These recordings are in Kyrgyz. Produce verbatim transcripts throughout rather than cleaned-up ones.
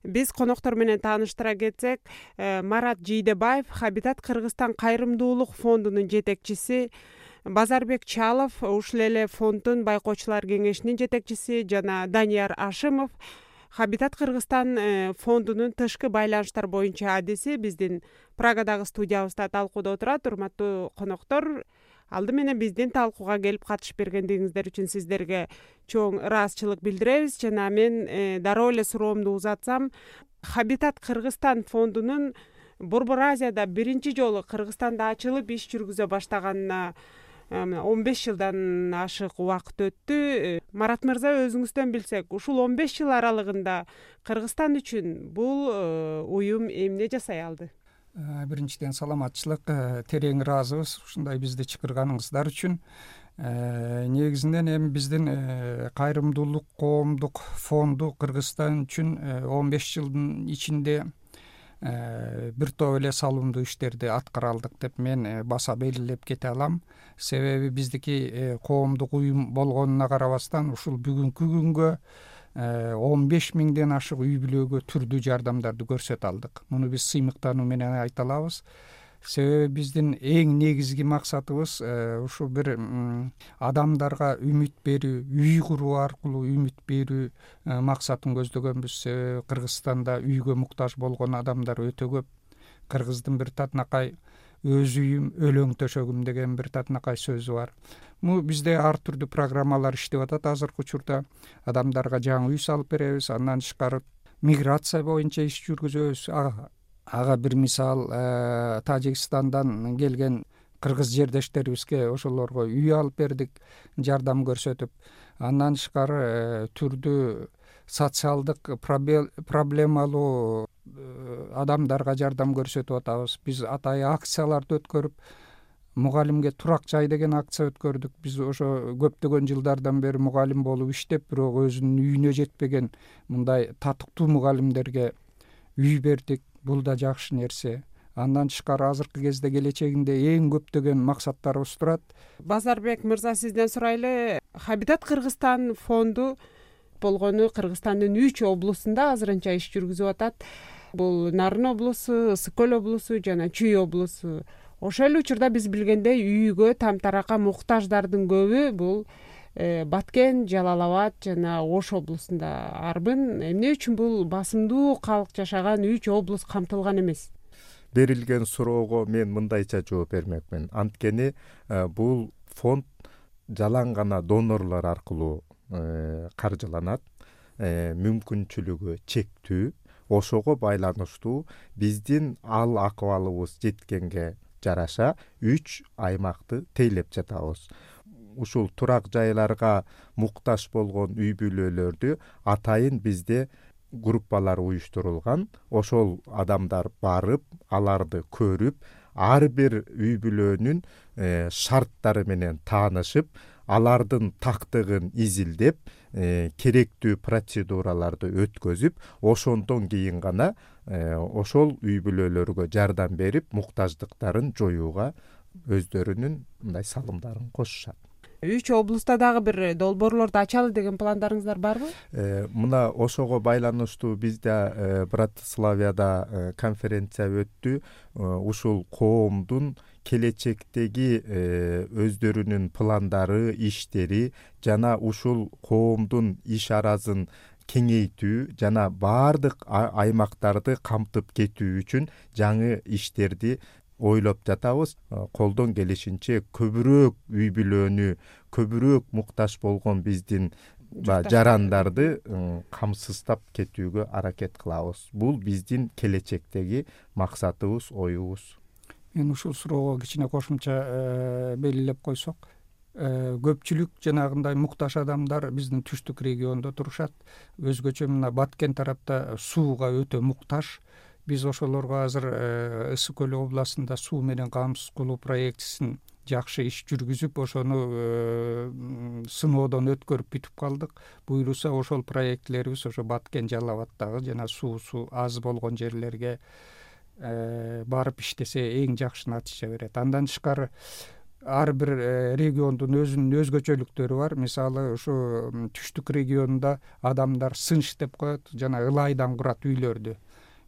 Биз коноктор менен тааныштыра кетсек, Марат Жийдебаев Хабитат Кыргызстан кайрымдуулук фондунун жетекчиси, Базарбек Чалов ушул эле фонддун байкоочулар кеңешинин жетекчиси жана Данияр Ашимов Хабитат Кыргызстан фондунун тышкы байланыштар боюнча адиси биздин Прагадагы студиябызда талкууда отурат. Урматтуу коноктор, алды менен биздин талкууга келип катышып бергендигиңиздер үчүн сиздерге чоң ыраазычылык билдиребиз. Жана мен дароо эле суроомду узатсам, Хабитат Кыргызстан фондунун Борбор Азияда биринчи жолу Кыргызстанда ачылып иш жүргүзө баштаганына он беш жылдан ашык убакыт өттү. Марат мырза, өзүңүздөн билсек, ушул он беш жыл аралыгында Кыргызстан үчүн бул уюм эмне жасай алды? Биринчиден саламатчылык, терең ыраазыбыз ушундай бизди чакырганыңыздар үчүн. Негизинен эми биздин кайрымдуулук коомдук фонду Кыргызстан үчүн он беш жылдын ичинде бир топ эле салымдуу иштерди аткара алдык деп мен баса белгилеп кете алам. Себеби биздики коомдук уюм болгонуна карабастан ушул бүгүнкү күнгө он беш миңден ашык үй бүлөгө түрдүү жардамдарды көрсөтө алдык. Муну биз сыймыктануу менен айта алабыз. Себеби биздин эң негизги максатыбыз ушу бир адамдарга үмүт берүү, үй куруу аркылуу үмүт берүү максатын көздөгөнбүз. Себеби Кыргызстанда үйгө муктаж болгон адамдар өтө көп. Кыргыздын бир татынакай өз үйүм, өлөң төшөгүм деген бир татынакай сөзү бар. Му бизде ар түрдүү программалар иштеп атат. Азыркы учурда адамдарга жаңы үй салып беребиз. Андан тышкары миграция боюнча иш жүргүзөбүз. Ага бир мисал, Тажикстандан келген кыргыз жердештерибизге ошолорго үй алып бердик, жардам көрсөтүп. Андан тышкары түрдүү социалдык проблемалуу адамдарга жардам көрсөтүп атабыз. Биз атайы акцияларды өткөрүп, мугалимге турак жай деген акция өткөрдүк. Биз ошо көптөгөн жылдардан бери мугалим болуп иштеп, бирок өзүнүн үйүнө жетпеген мындай татыктуу мугалимдерге үй бердик. Бул да жакшы нерсе. Андан тышкары азыркы кезде келечегинде эң көптөгөн максаттарыбыз турат. Базарбек мырза, сизден сурайлы. Хабитат Кыргызстан фонду болгону Кыргызстандын үч облусунда азырынча иш жүргүзүп атат. Бул Нарын облусу, Ысык көл облусу жана Чүй облусу. Ошол эле учурда биз билгендей үйгө тамтаракка муктаждардын көбү бул Баткен, Жалал Абад жана Ош облусунда. Арбын эмне үчүн бул басымдуу калк жашаган үч облус камтылган эмес? Берилген суроого мен мындайча жооп бермекмин. Анткени бул фонд жалаң гана донорлор аркылуу каржыланат. Мүмкүнчүлүгү чектүү. Ошого байланыштуу биздин ал акыбалыбыз жеткенге жараша үч аймакты тейлеп жатабыз. Ушул турак жайларга муктаж болгон үй бүлөлөрдү атайын бизде группалар уюштурулган. Ошол адамдар барып, аларды көрүп, ар бир үй бүлөнүн шарттары менен таанышып, алардын тактыгын изилдеп, керектүү процедураларды өткөзүп, ошондон кийин гана ошол үй бүлөлөргө жардам берип, муктаждыктарын жоюуга өздөрүнүн мындай салымдарын кошушат. Үч облуста дагы бир долбоорлорду ачалы деген пландарыңыздар барбы? Мына ошого байланыштуу бизде Братиславияда конференция өттү. Ушул коомдун келечектеги өздөрүнүн пландары, иштери жана ушул коомдун иш аразын кеңейтүү жана баардык аймактарды камтып кетүү үчүн жаңы иштерди ойлоп жатабыз. Колдон келишинче көбүрөөк үй бүлөнү, көбүрөөк муктаж болгон биздин жарандарды камсыздап кетүүгө аракет кылабыз. Бул биздин келечектеги максатыбыз, оюбуз. Мен ушул суроого кичине кошумча белгилеп койсок, көпчүлүк жанагындай муктаж адамдар биздин түштүк региондо турушат. Өзгөчө мына Баткен тарапта сууга өтө муктаж. Биз ошолорго азыр Ысык көл областында суу менен камсыз кылуу проектисин жакшы иш жүргүзүп, ошону сыноодон өткөрүп бүтүп калдык. Буюрса ошол проектилерибиз ошо Баткен, Жалал Абадтагы жана суусу аз болгон жерлерге барып иштесе эң жакшы натыйжа берет. Андан тышкары ар бир региондун өзүнүн өзгөчөлүктөрү бар. Мисалы ушу түштүк регионунда адамдар сынч деп коет, жана ылайдан курат үйлөрдү.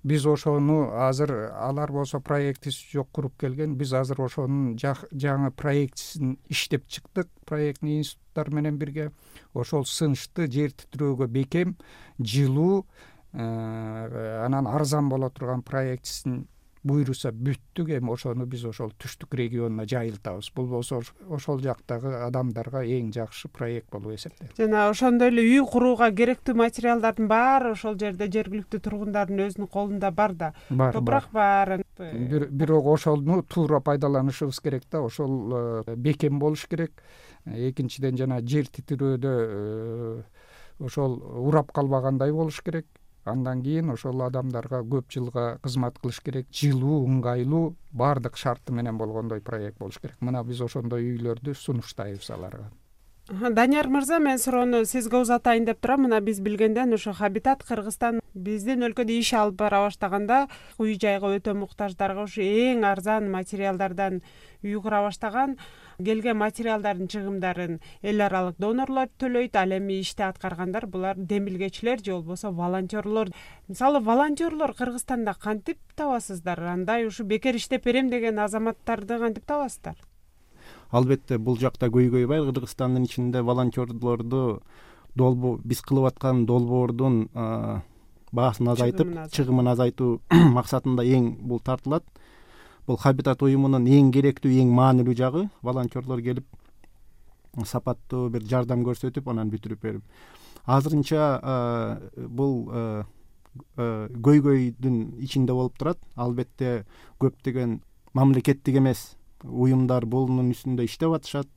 Биз ошону азыр алар болсо проектиси жок куруп келген. Биз азыр ошонун жаңы проектисин иштеп чыктык. Проектный институттар менен бирге ошол сынчты жер титирөөгө бекем, жылуу, анан арзан боло турган проектисин буйруса бүттүк. Эми ошону биз ошол түштүк регионуна жайылтабыз. Бул болсо ошол жактагы адамдарга эң жакшы проект болуп эсептелет. Жана ошондой эле үй курууга керектүү материалдардын баары ошол жерде жергиликтүү тургундардын өзүнүн колунда бар да. Топурак бар. Бирок ошону туура пайдаланышыбыз керек да. Ошол бекем болуш керек. Экинчиден жана жер титирөөдө ошол урап калбагандай болуш керек. Андан кийин ошол адамдарга көп жылга кызмат кылыш керек. Жылуу, ыңгайлуу, баардык шарты менен болгондой проект болуш керек. Мына биз ошондой үйлөрдү сунуштайбыз аларга. Данияр мырза, мен суроону сизге узатайын деп турам. Мына биз билгенден ошо Хабитат Кыргызстан биздин өлкөдө иш алып бара баштаганда үй жайга өтө муктаждарга ушу эң арзан материалдардан үй кура баштаган. Келген материалдардын чыгымдарын эл аралык донорлор төлөйт. Ал эми ишти аткаргандар булар демилгечилер же болбосо волонтерлор. Мисалы волонтерлор Кыргызстанда кантип табасыздар? Андай ушу бекер иштеп берем деген азаматтарды кантип табасыздар? Албетте бул жакта көйгөй бар. Кыргызстандын ичинде волонтерлорду долбоо биз кылып аткан долбоордун баасын азайтып, чыгымын азайтуу максатында эң бул тартылат. Бул Хабитат уюмунун эң керектүү, эң маанилүү жагы волонтерлор келип сапаттуу бир жардам көрсөтүп, анан бүтүрүп берип. Азырынча бул көйгөйдүн ичинде болуп турат. Албетте көптөгөн мамлекеттик эмес уюмдар бунун үстүндө иштеп атышат.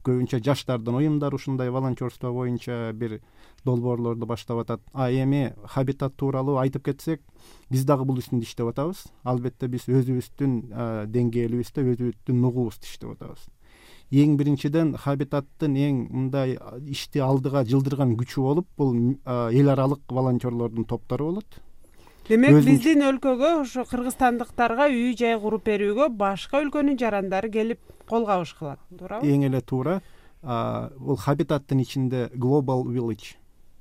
Көбүнчө жаштардын уюмдары ушундай волонтерство боюнча бир долбоорлорду баштап атат. А эми Хабитат тууралуу айтып кетсек, биз дагы бул үстүндө иштеп атабыз. Албетте биз өзүбүздүн деңгээлибизде, өзүбүздүн нугубузду иштеп атабыз. Эң биринчиден Хабитаттын эң мындай ишти алдыга жылдырган күчү болуп, бул эл аралык волонтерлордун топтору болот. Демек, биздин өлкөгө, ошо кыргызстандыктарга үй жай куруп берүүгө башка өлкөнүн жарандары келип кол кабыш кылат, туурабы? Эң эле туура. Бул Хабитаттын ичинде Global Village.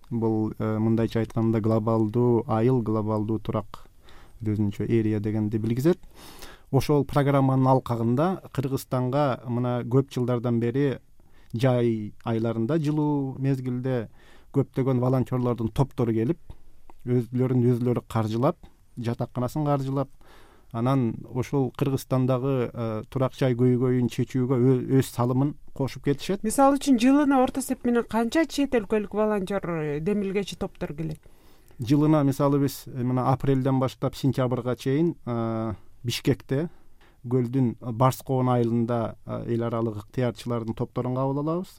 Бул мындайча айтканда глобалдуу айыл, глобалдуу турак, өзүнчө эрия дегенди билгизет. Ошол программанын алкагында Кыргызстанга мына көп жылдардан бери жай айларында, жылуу мезгилде көптөгөн волонтерлордун топтору келип, өзлөрүн өзлөрү каржылап, жатаканасын каржылап, анан ошол Кыргызстандагы турак жай көйгөйүн чечүүгө өз салымын кошуп кетишет. Мисалы үчүн жылына орто эсеп менен канча чет өлкөлүк волонтер демилгечи топтор келет? Жылына мисалы биз мына апрелден баштап сентябрга чейин Бишкекте көлдүн Барскоон айылында эл аралык ыктыярчылардын топторун кабыл алабыз.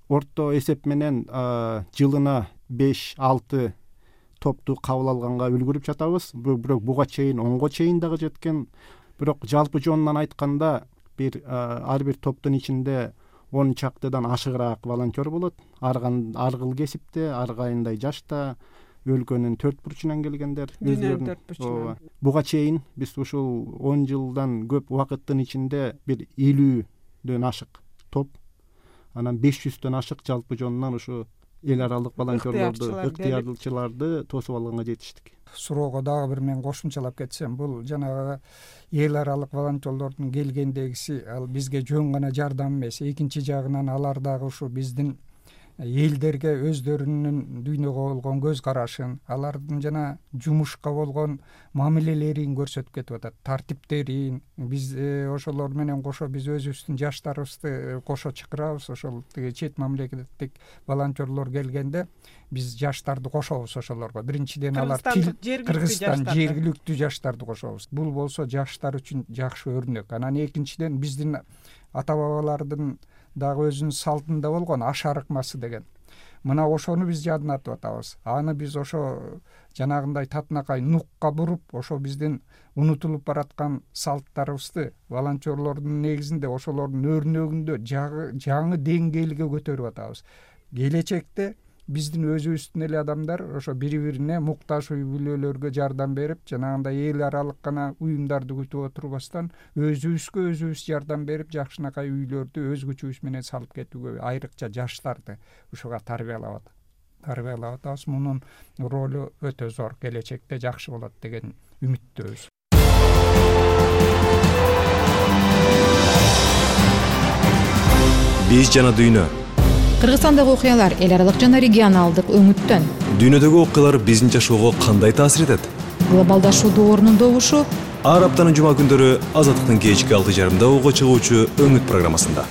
Орто эсеп менен жылына беш алты топту кабыл алганга үлгүрүп жатабыз. Бирок буга чейин онго чейин дагы жеткен. Бирок жалпы жонунан айтканда бир ар бир топтун ичинде он чактыдан ашыгыраак волонтер болот. Ар кыл кесипте, ар кайындай жашта, өлкөнүн төрт бурчунан келгендер. Буга чейин биз ушул он жылдан көп убакыттын ичинде бир элүүдөн ашык топ, анан беш жүздөн ашык жалпы жонунан ушу эл аралык волонтерлорду, ыктыярчыларды тосуп алганга жетиштик. Суроого дагы бир мен кошумчалап кетсем, бул жанагы эл аралык волонтерлордун келгендегиси ал бизге жөн гана жардам эмес. Экинчи жагынан алар дагы ушу биздин элдерге өздөрүнүн дүйнөгө болгон көз карашын, алардын жана жумушка болгон мамилелерин көрсөтүп кетип атат, тартиптерин. Биз ошолор менен кошо биз өзүбүздүн жаштарыбызды кошо чакырабыз. Ошол тиги чет мамлекеттик волонтерлор келгенде биз жаштарды кошобуз ошолорго. Биринчиден алар Кыргызстан жергиликтүү жаштарды кошобуз. Бул болсо жаштар үчүн жакшы өрнөк. Анан экинчиден биздин ата бабалардын дагы өзүнүн салтында болгон аш арыкмасы деген. Мына ошону биз жадынатып атабыз. Аны биз ошо жанагындай татынакай нукка буруп, ошо биздин унутулуп бараткан салттарыбызды волонтерлордун негизинде ошолордун өрнөгүндө жаңы деңгээлге көтөрүп атабыз. Келечекте биздин өзүбүздүн эле адамдар ошо бири бирине муктаж үй бүлөлөргө жардам берип, жанагындай эл аралык гана уюмдарды күтүп отурбастан өзүбүзгө өзүбүз жардам берип, жакшынакай үйлөрдү өз күчүбүз менен салып кетүүгө, айрыкча жаштарды ушуга тарбиялап атат тарбиялап атабыз. Мунун ролу өтө зор, келечекте жакшы болот деген үмүттөбүз. Биз жана дүйнө. Кыргызстандагы окуялар эл аралык жана регионалдык өңүттөн. Дүйнөдөгү окуялар биздин жашоого кандай таасир этет? Глобалдашуу доорунун добушу. Ар аптанын жума күндөрү Азаттыктын кечки алты жарымда угуп чыгуучу Өңүт программасында.